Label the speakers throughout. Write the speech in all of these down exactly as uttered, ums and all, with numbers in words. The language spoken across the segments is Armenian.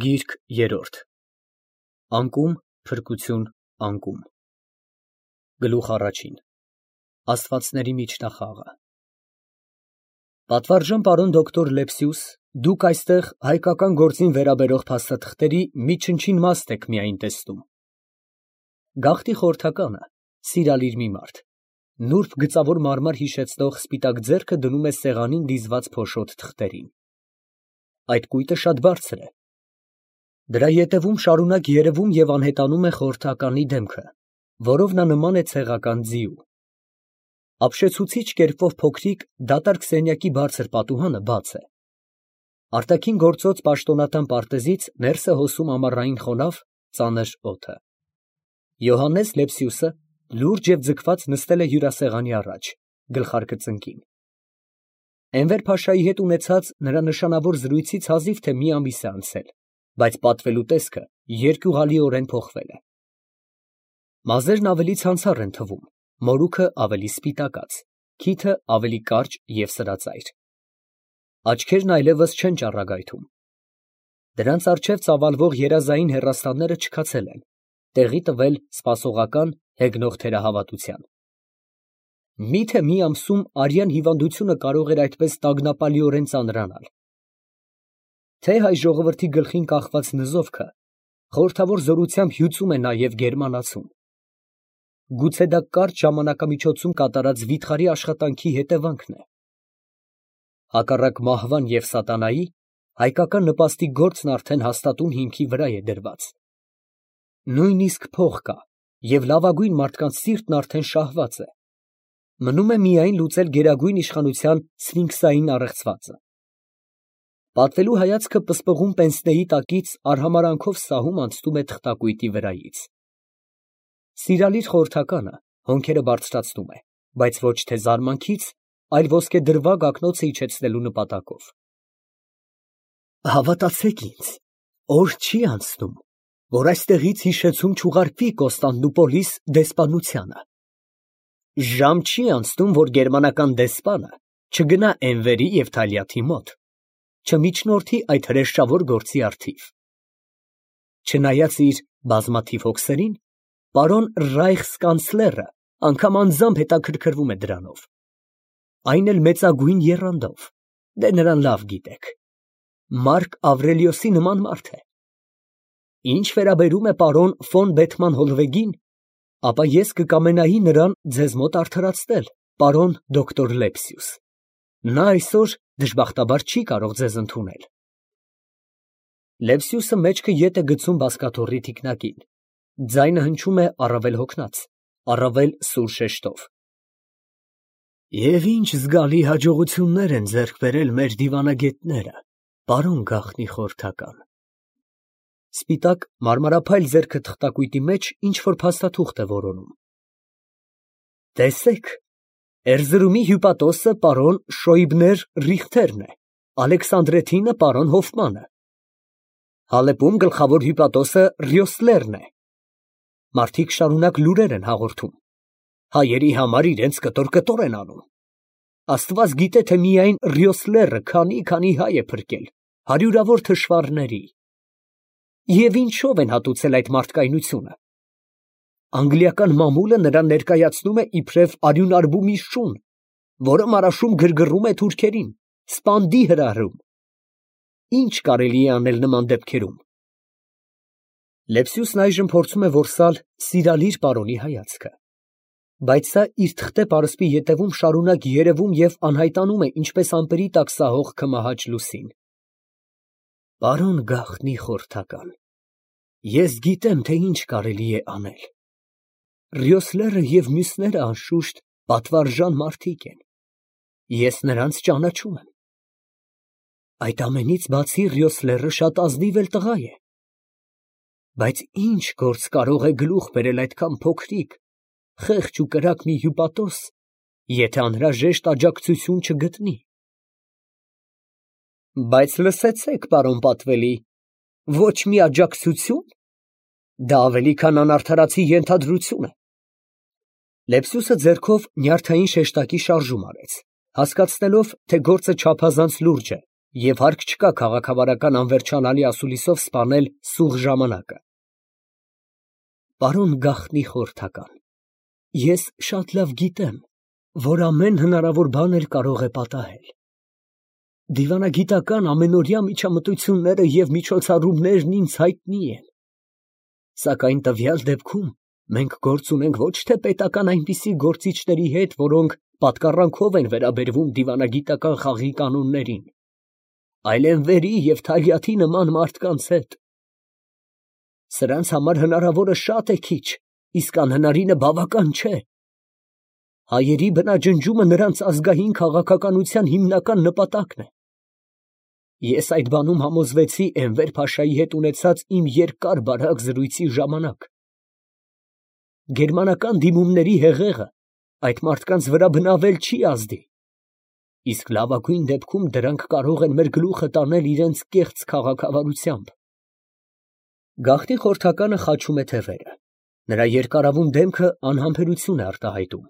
Speaker 1: Գիրք երրորդ Անկում, փրկություն, անկում Գլուխ առաջին Աստվածների միջնախաղը Պատվարժան պարոն դոկտոր Լեպսիուս, դուք այստեղ հայկական գործին վերաբերող փաստաթղթերի մի չնչին մաս եք միայն տեսնում։ Գաղթի խորհրդականը, սիրալիր մի մարդ, նուրբ գծավոր մարմար հիշեցնող սպիտակ ձեռքը դնում է սեղանին դիզված փոշոտ թղթերին։ Այդ կույտը շատ բարձր է։ Դրա ետևում շարունակ երևում և անհետանում է խորհրդականի դեմքը, որով նա նման է ցեղական ձիու։ Ապշեցուցիչ կերպով փոքրիկ, դատարկ սենյակի բարձր պատուհանը բաց է։ Արտաքին գործոց պաշտոնատան պարտեզից ներս է հոսում ամառային խոնավ, ծանր օդը։ Յոհաննես Լեպսիուսը լուրջ և ձգված նստել է հյուրասեղանի առաջ, գլխարկը ծնկին։ Էնվեր փաշայի հետ ունեցած նրա նշանավոր զրույցից հազիվ թե մի ամիս է անցել, բայց պատվելու տեսքը երկյուղալիորեն փոխվել է։ Մազերն ավելի ցանցառ են թվում, մորուքը ավելի սպիտակած, քիթը ավելի կարճ և սրածայր։ Աչքերն այլևս չեն ճառագայթում։ Դրանց առջև ծավալվող երազային հեռաստանները չքացել են, տեղի տվել սպասողական, հեգնող թերահավատության։ Մի՞թե մի ամսում արյան հիվանդությունը կարող էր այդպես տագնապալիորեն ծանրանալ։ Թե հայ ժողովրդի գլխին կախված նզովքը խորհրդավոր զորությամբ հյուծում է նաև գերմանացուն։ Գուցե դա կարճ ժամանակամիջոցում կատարած վիթխարի աշխատանքի հետևանքն է։ Հակառակ մահվան և սատանայի, հայկական նպաստի գործն արդեն հաստատուն հիմքի վրա է դրված։ Նույնիսկ փող կա, և լավագույն մարդկանց սիրտն արդեն շահված է։ Մնում է միայն լուծել գերագույն իշխանության սֆինքսային առեղծվածը։ Պատվելու հայացքը պսպղուն պենսնեի տակից արհամարհանքով սահում անցնում է թղթակույտի վրայից։ Սիրալիր խորհրդականը հոնքերը բարձրացնում է, բայց ոչ թե զարմանքից, այլ ոսկեդրվագ ակնոցը իջեցնելու նպատակով։ Հավատացեք ինձ, օր չի անցնում, որ այստեղից հիշեցում չուղարկվի Կոստանդնուպոլիս դեսպանությանը։ Ժամ չի անցնում, որ գերմանական դեսպանը չգնա Էնվերի և Թալյաթի մոտ, չմիջնորդի այդ հրեշավոր գործի առթիվ։ Չնայած իր բազմաթիվ հոգսերին, պարոն ռայխսկանցլերը անգամ անձամբ հետաքրքրվում է դրանով, այն էլ մեծագույն եռանդով, դե նրան լավ գիտեք, Մարկ Ավրելիոսի նման մարդ է։ Ինչ վերաբերում է պարոն ֆոն Բեթման Հոլվեգին, ապա ես կկամենայի նրան ձեզ մոտ արդարացնել, պարոն դոկտոր Լեպսիուս։ Նա այսօր դժբախտաբար չի կարող ձեզ ընդունել։ Լեպսիուսը մեջքը ետ է գցում բազկաթոռի թիկնակին, ձայնը հնչում է առավել հոգնած, առավել սուր շեշտով։ Եվ ինչ զգալի հաջողություններ են ձեռք բերել մեր դիվանագետները, պարոն գաղտնի խորհրդական։ Սպիտակ մարմարափայլ ձեռքը թղթակույտի մեջ ինչ-որ փաստաթուղթ է որոնում։ Տեսեք, Էրզրումի հյուպատոսը պարոն Շոյբներ Ռիխտերն է, Ալեքսանդրեթինը պարոն Հոֆմանը, Հալեպում գլխավոր հյուպատոսը Ռյոսլերն է։ Մարդիկ շարունակ լուրեր են հաղորդում։ Հայերի համար իրենց կտոր֊կտոր են անում։ Աստված գիտե, թե միայն Ռյոսլերը քանի֊քանի հայ է փրկել, հարյուրավոր թշվառների։ Եվ ինչով են հատուցել այդ մարդկայնությունը։ Անգլիական մամուլը նրան ներկայացնում է իբրև արյունարբումի շուն, որը մարաշում գրգռում է թուրքերին, սպանդի հրահրում։ Ինչ կարելի է անել նման դեպքերում։ Լեպսիուսն այժմ փորձում է որսալ սիրալիր պարոնի հայացքը, բայց սա իր թղթե պարսպի ետևում շարունակ երևում և անհայտանում է ինչպես ամպերի տակ սահող քմահաճ լուսին։ Պարոն գաղտնի խորհրդական, ես գիտեմ, թե ինչ կարելի է անել։ Ռյոսլերը և մյուսները անշուշտ պատվարժան մարդիկ են։ Ես նրանց ճանաչում եմ։ Այդ ամենից բացի Ռյոսլերը շատ ազնիվ էլ տղա է։ Բայց ինչ գործ կարող է գլուխ բերել այդքան փոքրիկ, խեղճ ու կրակ մի հյուպատոս, եթե անհրաժեշտ աջակցություն չգտնի։ Բայց լսեցեք, պարոն պատվելի, ոչ մի աջակցություն։ Դա ավելի քան անարդարացի ենթադրություն է։ Լեպսիուսը ձեռքով նյարդային շեշտակի շարժում արեց, հասկացնելով, թե գործը չափազանց լուրջ է Եվ հարկ չկա քաղաքավարական անվերջանալի ասուլիսով սպանել սուղ ժամանակը։ Պարոն գաղտնի խորհրդական, ես շատ լավ գիտեմ, որ ամեն հնարավոր բաներ կարող է պատահել։ Դիվանագիտական ամենօրյա միջամտությունները և միջոցառումներն ինձ հայտնի են։ Սակայն տվյալ դեպքում մենք գործ ունենք ոչ թե պետական այնպիսի գործիչների հետ, որոնք պատկառանքով են վերաբերվում դիվանագիտական խաղի կանոններին, այլ էնվերի և Թալյաթի նման մարդկանց հետ։ Սրանց համար հնարավորը շատ է քիչ, իսկ անհնարինը բավական չէ։ Հայերի բնաջնջումը նրանց ազգային քաղաքականության հիմնական նպատակն է։ Ես այդ բանում համոզվեցի Էնվեր փաշայի հետ ունեցած իմ երկար բարակ զրույցի ժամանակ։ Գերմանական դիմումների հեղեղը այդ մարդկանց վրա բնավել չի ազդի, իսկ լավագույն դեպքում դրանք կարող են մեր գլուխը տանել իրենց կեղծ քաղաքավարությամբ։ Գաղտնի խորհրդականը խաչում է թևերը, նրա երկարավուն դեմքը անհամբերություն է արտահայտում։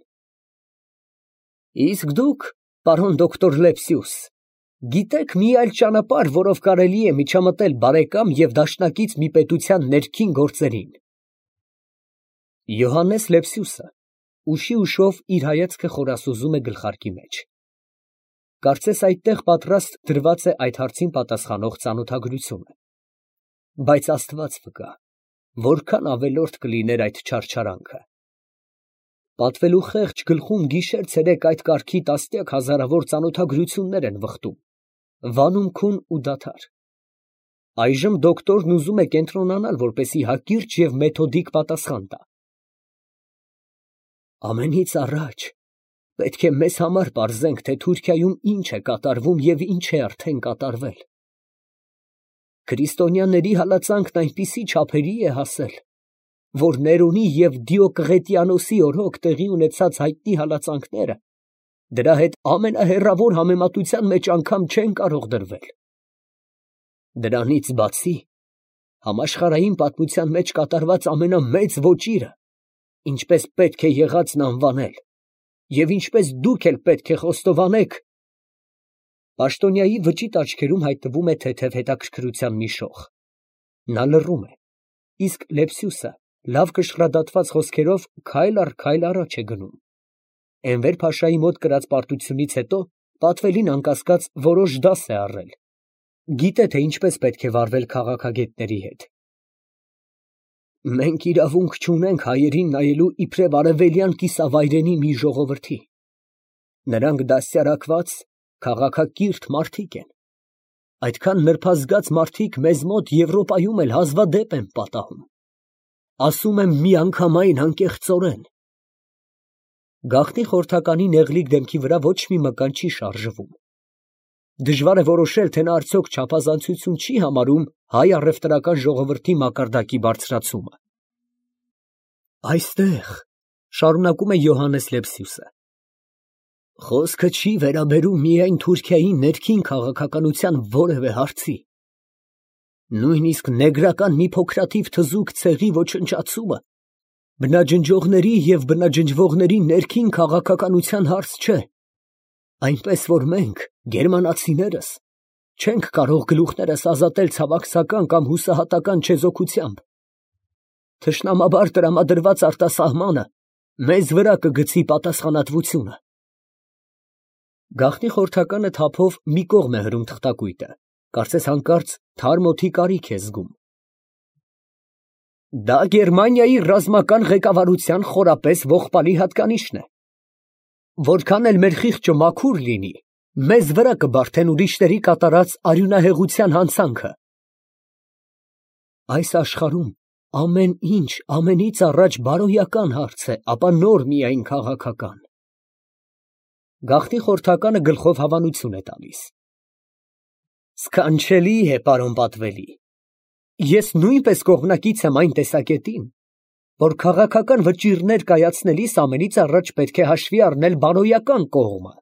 Speaker 1: Իսկ դուք, պարոն դոկտոր Լեպսիուս, գիտեք մի այլ ճանապարհ, որով կարելի է միջամտել բարեկամ և դաշնակից մի պետության ներքին գործերին։ Յոհաննես Լեպսիուսը ուշի ուշով իր հայացքը խորասուզում է գլխարկի մեջ։ Կարծես այդտեղ պատրաստ դրված է այդ հարցին պատասխանող ծանոթագրությունը։ Բայց Աստված վկա, որքան ավելորդ կլիներ այդ չարչարանքը։ Պատվելու խեղճ գլխում գիշեր֊ցերեկ այդ կարգի տասնյակ հազարավոր ծանոթագրություններ են վխտում, վանում քուն ու դադար։ Այժմ դոկտորն ուզում է կենտրոնանալ, որպեսզի հակիրճ և մեթոդիկ պատասխան տա։ Ամենից առաջ պետք է մեզ համար պարզենք, թե Թուրքիայում ինչ է կատարվում և ինչ է արդեն կատարվել։ Քրիստոնյաների հալածանքն այնպիսի չափերի է հասել, որ Ներոնի և Դիոկլետիանոսի օրոք տեղի ունեցած հայտնի հալածանքները դրա հետ ամենահեռավոր համեմատության մեջ անգամ չեն կարող դրվել։ Դրանից բացի, համաշխարհային պատմության մեջ կատարված ամենամեծ ոճիրը, ինչպես պետք է եղածն անվանել, և ինչպես դուք էլ պետք է խոստովանեք… Պաշտոնյայի վճիտ աչքերում հայտնվում է թեթև հետաքրքրության մի շող։ Նա լռում է, իսկ Լեպսիուսը լավ կշռադատված խոսքերով քայլ առ քայլ առաջ է գնում։ Էնվեր փաշայի մոտ կրած պարտությունից հետո պատվելին անկասկած որոշ դաս է առել, գիտե, թե ինչպես պետք է վարվել քաղաքագետների հետ։ Մենք իրավունք չունենք հայերին նայելու իբրև արևելյան կիսավայրենի մի ժողովրդի։ Նրանք դաստիարակված, քաղաքակիրթ մարդիկ են։ Այդքան նրբազգաց մարդիկ մեզ մոտ Եվրոպայում էլ հազվադեպ են պատահում։ Ասում եմ միանգամայն անկեղծորեն։ Գաղտնի խորհրդականի նեղլիկ դեմքի վրա ոչ մի մկան չի շարժվում։ Դժվար է որոշել, թե նա արդյոք չափազանցություն չի համարում հայ առևտրական ժողովրդի մակարդակի բարձրացումը։ Այստեղ, շարունակում է Յոհաննես Լեպսիուսը, խոսքը չի վերաբերում միայն Թուրքիայի ներքին քաղաքականության որևէ հարցի։ Նույնիսկ նեգրական մի փոքրաթիվ թզուկ ցեղի ոչնչացումը բնաջնջողների և բնաջնջվողների ներքին քաղաքականության հարց չէ, այնպես որ մենք, գերմանացիներս, չենք կարող գլուխներս ազատել ցավակցական կամ հուսահատական չեզոքությամբ։ Թշնամաբար տրամադրված արտասահմանը մեզ վրա կգցի պատասխանատվությունը։ Գաղտնի խորհրդականը թափով մի կողմ է հրում թղթակույտը, կարծես հանկարծ թարմ օդի կարիք է զգում։ Դա Գերմանիայի ռազմական ղեկավարության խորապես ողբալի հատկանիշն է։ Որքան էլ մեր խիղճը մաքուր լինի, մեզ վրա կբարդեն ուրիշների կատարած արյունահեղության հանցանքը։ Այս աշխարհում ամեն ինչ ամենից առաջ բարոյական հարց է, ապա նոր միայն քաղաքական։ Գաղտնի խորհրդականը գլխով հավանություն է տալիս։ Սքանչելի է, պարոն պատվելի։ Ես նույնպես կողմնակից եմ այն տեսակետին, որ քաղաքական վճիռներ կայացնելիս ամենից առաջ պետք է հաշվի առնել բարոյական կողմը։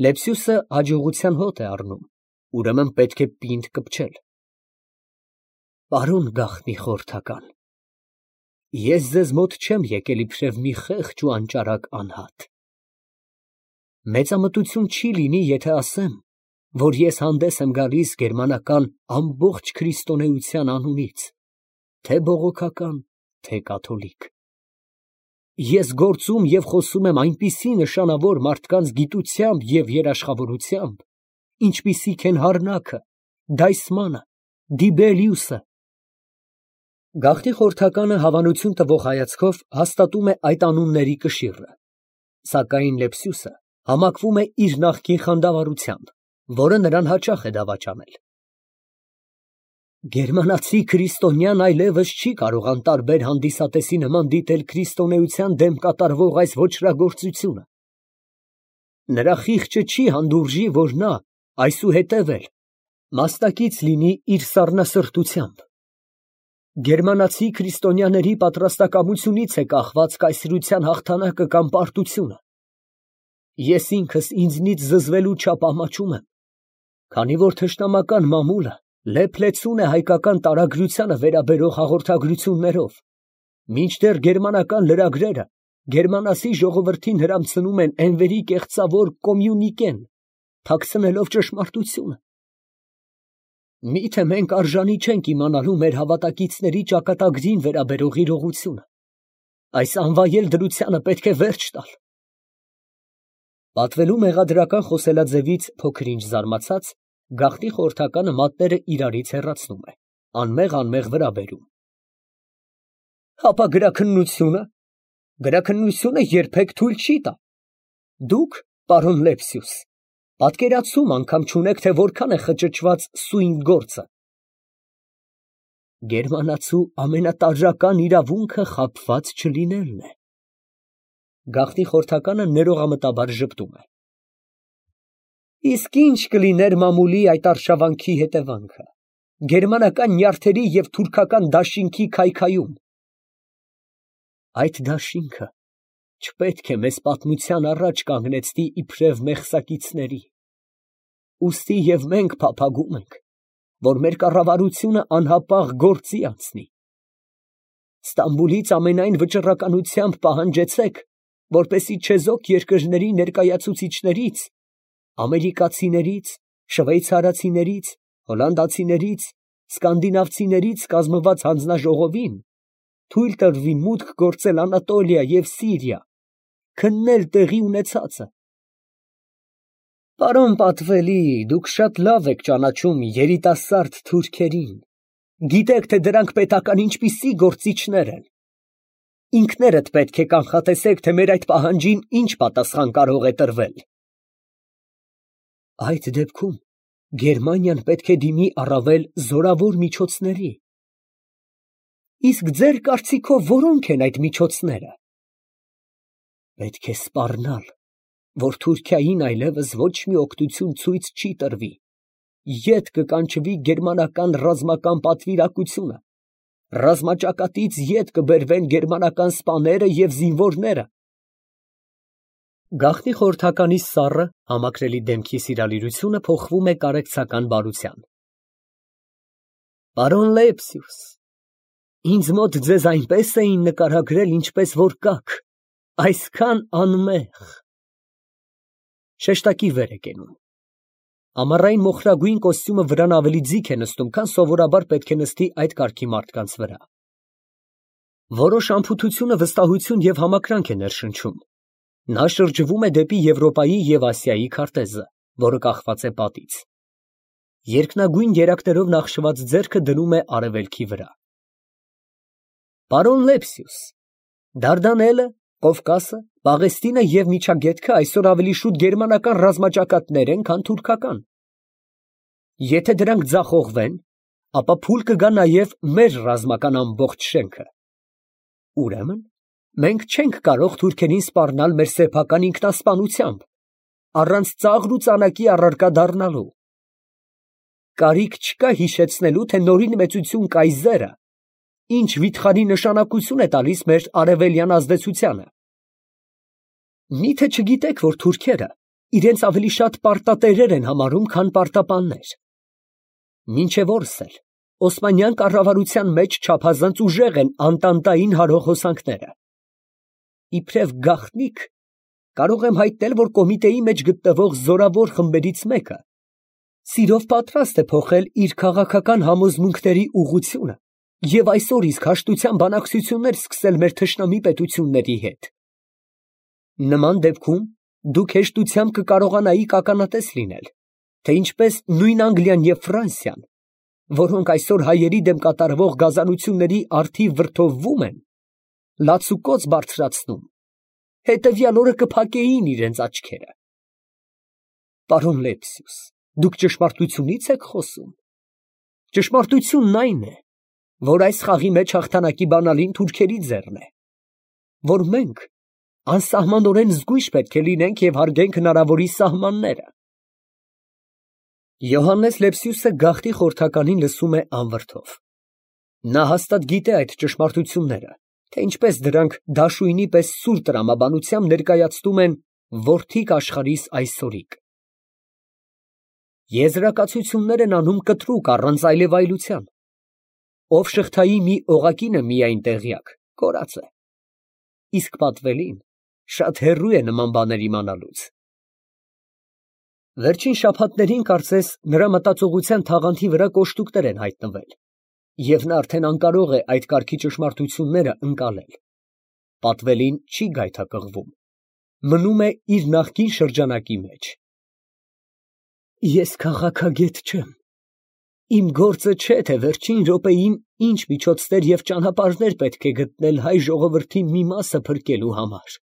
Speaker 1: Լեպսիուսը հաջողության հոտ է առնում, ուրեմն պետք է պինդ կպչել։ Պարոն գաղտնի խորհրդական, ես ձեզ մոտ չեմ եկել իբրև մի խեղճ ու անճարակ անհատ։ Մեծամտություն չի լինի, եթե ասեմ, որ ես հանդես եմ գալիս գերմանական ամբողջ քրիստոնեության անունից, թե բողոքական, թե կաթոլիկ։ Ես գործում և խոսում եմ այնպիսի նշանավոր մարդկանց գիտությամբ և երաշխավորությամբ, ինչպիսիք են Հարնաքը, Դայսմանը, Դիբելիուսը։ Գաղթի խորհրդականը հավանություն տվող հայացքով հաստատում է այդ անունների կշիռը, սակայն Լեպսիուսը համակվում է իր նախկին խանդավառությամբ, որը նրան հաճախ է դավաճանել։ Գերմանացի քրիստոնյան այլևս չի կարող անտարբեր հանդիսատեսի նման դիտել քրիստոնեության դեմ կատարվող այս ոճրագործությունը։ Նրա խիղճը չի հանդուրժի, որ նա այսուհետև էլ մասնակից լինի իր սառնասրտությամբ։ Գերմանացի քրիստոնյաների պատրաստակամությունից է կախված կայսրության հաղթանակը կամ պարտությունը։ Ես ինքս ինձնից զզվելու չափ ամաչում եմ, քանի որ թշնամական մամուլը լեփ-լեցուն է հայկական տարագրությանը վերաբերող հաղորդագրություններով, մինչդեռ գերմանական լրագրերը գերմանացի ժողովրդին հրամցնում են էնվերի կեղծավոր կոմյունիկեն, թաքցնելով ճշմարտությունը։ Միթե մենք արժանի չենք իմանալու մեր հավատակիցների ճակատագրին վերաբերող իրողությունը։ Այս անվայել դրությանը պետք է վերջ տալ։ Պատվելու մեղադրական խոսելաձևից փոքր-ինչ զարմացած, գաղթի խորհրդականը մատները իրարից հեռացնում է, անմեղ֊անմեղ վրա բերում։ Հապա գրաքննությունը, գրաքննությունը երբեք թույլ չի տա։ Դուք, պարոն Լեպսիուս, պատկերացում անգամ չունեք, թե որքան է խճճված սույն գործը։ Գերմանացու ամենատարրական իրավունքը խաբված չլինելն է։ Գաղթի խորհրդականը ներողամտաբար ժպտում է։ Իսկ ինչ կլիներ մամուլի այդ արշավանքի հետևանքը, գերմանական նյարդերի և թուրքական դաշինքի քայքայում։ Այդ դաշինքը չպետք է մեզ պատմության առաջ կանգնեցնի իբրև մեղսակիցների։ Ուստի և մենք փափագում ենք, որ մեր կառավարությունը անհապաղ գործի անցնի։ Ստամբուլից ամենայն վճռականությամբ պահանջեցեք, որպեսզի չեզոք երկրների ներկայացուցիչներից, ամերիկացիներից, շվեյցարացիներից, հոլանդացիներից, սկանդինավցիներից կազմված հանձնաժողովին թույլ տրվի մուտք գործել Անատոլիա և Սիրիա, քննել տեղի ունեցածը։ Պարոն պատվելի, դուք շատ լավ եք ճանաչում երիտասարդ թուրքերին, գիտեք, թե դրանք պետական ինչպիսի գործիչներ են։ Ինքներդ պետք է կանխատեսեք, թե մեր այդ պահանջին ինչ պատասխան կարող է տրվել։ Այդ դեպքում Գերմանիան պետք է դիմի առավել զորավոր միջոցների։ Իսկ ձեր կարծիքով որո՞նք են այդ միջոցները։ Պետք է սպառնալ, որ Թուրքիային այլևս ոչ մի օգնություն ցույց չի տրվի, ետ կկանչվի գերմանական ռազմական պատվիրակությունը, ռազմաճակատից ետ կբերվեն գերմանական սպաները և զինվորները։ Գաղթի խորհրդականի սառը, համակրելի դեմքի սիրալիրությունը փոխվում է կարեկցական բարության։ Պարոն Լեպսիուս, ինձ մոտ ձեզ այնպես էին նկարագրել, ինչպես որ կաք, այսքան անմեղ։ Շեշտակի վեր է կենում։ Ամառային մոխրագույն կոստյումը վրան ավելի ձիգ է նստում, քան սովորաբար պետք է նստի այդ կարգի մարդկանց վրա։ Որոշ անփութությունը վստահություն և համակրանք է ներշնչում։ Նա շրջվում է դեպի Եվրոպայի և Ասիայի քարտեզը, որը կախված է պատից։ Երկնագույն երակներով նախշված ձեռքը դնում է արևելքի վրա։ Պարոն Լեպսիուս, Դարդանելը, Կովկասը, Պաղեստինը և Միջագետքը այսօր ավելի շուտ գերմանական ռազմաճակատներ են, քան թուրքական։ Եթե դրանք ձախողվեն, ապա փուլ կգա նաև մեր ռազմական ամբողջ շենքը։ Ուրեմն, մենք չենք կարող թուրքերին սպառնալ մեր սեփական ինքնասպանությամբ, առանց ծաղր ու ծանակի առարկա դառնալու։ Կարիք չկա հիշեցնելու, թե նորին մեծություն կայզերը ինչ վիթխարի նշանակություն է տալիս մեր արևելյան ազդեցությանը։ Միթե չգիտեք, որ թուրքերը իրենց ավելի շատ պարտատերեր են համարում, քան պարտապաններ։ Մինչև օրս էլ Օսմանյան կառավարության մեջ չափազանց ուժեղ են անտանտային հարող հոսանքները։ Իբրև գաղտնիք կարող եմ հայտնել, որ կոմիտեի մեջ գտնվող զորավոր խմբերից մեկը Սիրով պատրաստ է փոխել իր քաղաքական համոզմունքների ուղղությունը և այսօր իսկ հաշտության բանակցություններ սկսել մեր թշնամի պետությունների հետ։ Նման դեպքում դուք հեշտությամբ կկարողանայիք ականատես լինել, թե ինչպես նույն Անգլիան և Ֆրանսիան, որոնք այսօր հայերի դեմ կատարվող գազանությունների առթիվ վրդովվում են, լացուկոծ բարձրացնում, հետևյալ օրը կփակեին իրենց աչքերը։ Պարոն Լեպսիուս, դուք ճշմարտությունի՞ց եք խոսում։ Ճշմարտությունն այն է, որ այս խաղի մեջ հաղթանակի բանալին թուրքերի ձեռն է, որ մենք անսահմանորեն զգույշ պետք է լինենք և հարգենք հնարավորի սահմանները։ Յոհաննես Լեպսիուսը գաղտնի խորհրդականին լսում է անվրդով։ Նա հաստատ գիտե այդ ճշմարտությունները, թե ինչպես դրանք դաշույնի պես սուր տրամաբանությամբ ներկայացնում են որդիք աշխարհիս այսօրիկ։ Եզրակացություններ են անում կտրուկ, առանց այլևայլության։ Ով շղթայի մի օղակին է միայն տեղյակ, կորած է, իսկ պատվելին շատ հեռու է նման բաներ իմանալուց։ Վերջին շաբաթներին կարծես նրա մտածողության թաղանթի վրա կոշտուկներ են հայտնվել, և նա արդեն անկարող է այդ կարգի ճշմարտությունները ընկալել։ Պատվելին չի գայթակղվում, մնում է իր նախկին շրջանակի մեջ։ Ես քաղաքագետ չեմ, իմ գործը չէ, թե վերջին րոպեին ինչ միջոցներ և ճանապարհներ պետք է գտնել հայ ժողովրդի մի մասը փրկելու համար,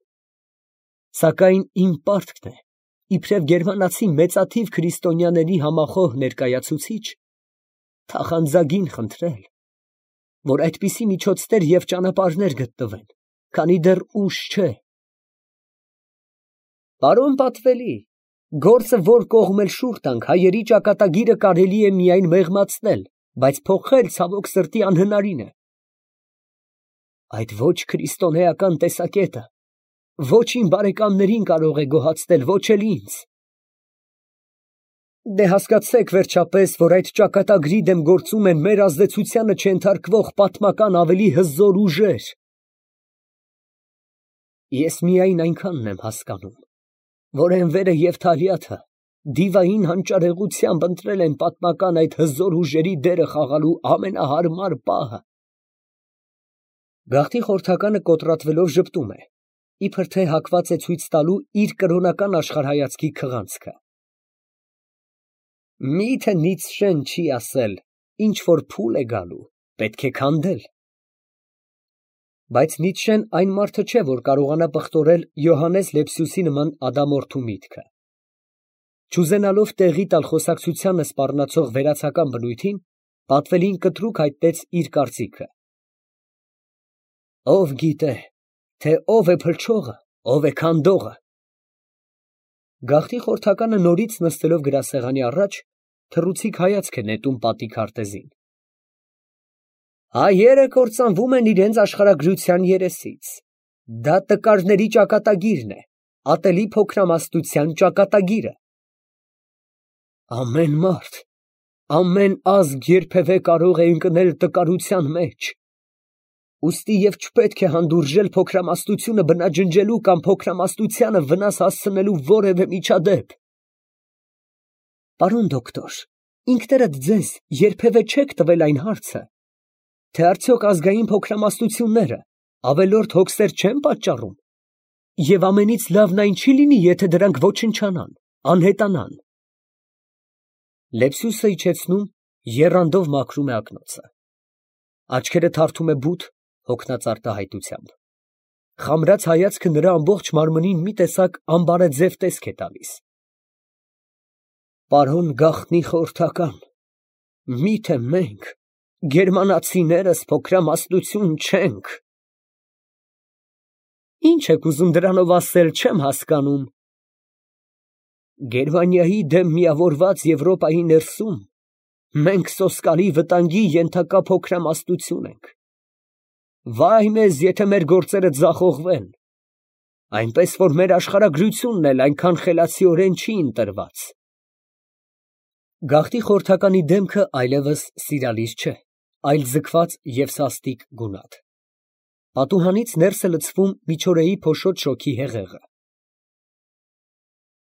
Speaker 1: սակայն իմ պարտքն է, իբրև գերմանացի մեծաթիվ քրիստոնյաների համախոհ ներկայացուցիչ, թախանձագին խնդրել, որ այդպիսի միջոցներ և ճանապարհներ գտնվեն, քանի դեռ ուշ չէ։ Պարոն Պատվելի, գործը որ կողմ էլ շուռ տանք, հայերի ճակատագիրը կարելի է միայն մեղմացնել, բայց փոխել, ցավոք սրտի, անհնարին է։ Այդ ոչ քրիստոնեական տեսակետը ոչ իմ բարեկամներին կարող է գոհացնել, ոչ էլ ինձ։ Դե հասկացեք վերջապես, որ այդ ճակատագրի դեմ գործում են մեր ազդեցությանը չենթարկվող պատմական ավելի հզոր ուժեր։ Ես միայն այնքանն եմ հասկանում, որ Էնվերը և Թալիաթը դիվային հանճարեղությամբ ընտրել են պատմական այդ հզոր ուժերի դերը խաղալու ամենահարմար պահը։ Գաղտնի խորհրդականը կոտրատվելով ժպտում է, իբր թե հակված է ցույց տալու իր կրոնական աշխարհայացքի քղանցքը։ Մի՞թե Նիցշեն չի ասել, ինչ որ փուլ է գալու, պետք է քանդել։ Բայց Նիցշեն այն մարդը չէ, որ կարողանա պղտորել Յոհաննես Լեպսիուսի նման ադամորդու միտքը։ Չուզենալով տեղի տալ խոսակցությանը սպառնացող վերացական բնույթին, Պատվելին կտրուկ հայտնեց իր կարծիքը։ Ով գիտե, թե ով է փլչողը, ով է քանդողը։ Գաղտնի խորհրդականը նորից նստելով գրասեղանի առաջ, թռուցիկ հայացք է նետում պատի քարտեզին։ Հայերը կործանվում են իրենց աշխարհագրության երեսից։ Դա տկարների ճակատագիրն է, ատելի փոքրամասնության ճակատագիրը։ Ամեն մարդ, ամեն ազգ երբևէ կարող է ընկնել տկարության մեջ։ Ուստի և չպետք է հանդուրժել փոքրամասնությունը բնաջնջելու կամ փոքրամասնությանը վնաս հասցնելու որևէ միջադեպ։ Պարոն դոկտոր, ինքներդ ձեզ երբևէ չեք տվել այն հարցը, թե արդյոք ազգային փոքրամասնությունները ավելորդ հոգսեր չեն պատճառում, և ամենից լավն այն չի լինի, եթե դրանք ոչնչանան, անհետանան։ Լեպսիուսը իջեցնում, եռանդով մաքրում է ակնոցը։ Աչքերը թարթում է բութ, հոգնած արտահայտությամբ։ Խամրած հայացքը նրա ամբողջ մարմնին մի տեսակ անբարեձև տեսք է տալիս։ Պարոն գաղտնի խորհրդական, միթե մենք, գերմանացիներս փոքրամասնություն չենք։ Ինչ եք ուզում դրանով ասել, չեմ հասկանում։ Գերմանիայի դեմ միավորված Եվրոպայի ներսում մենք սոսկալի վտանգի ենթակա փոքրամասնություն ենք։ Վայ մեզ, եթե մեր գործերը ձախողվեն, այնպես որ մեր աշխարհագրությունն էլ այնքան խելացիորեն չի ընտրված։ Գաղտնի խորհրդականի դեմքը այլևս սիրալիր չէ, այլ ձգված և սաստիկ գունատ։ Պատուհանից ներս է լցվում միջօրեի փոշոտ շոգի հեղեղը։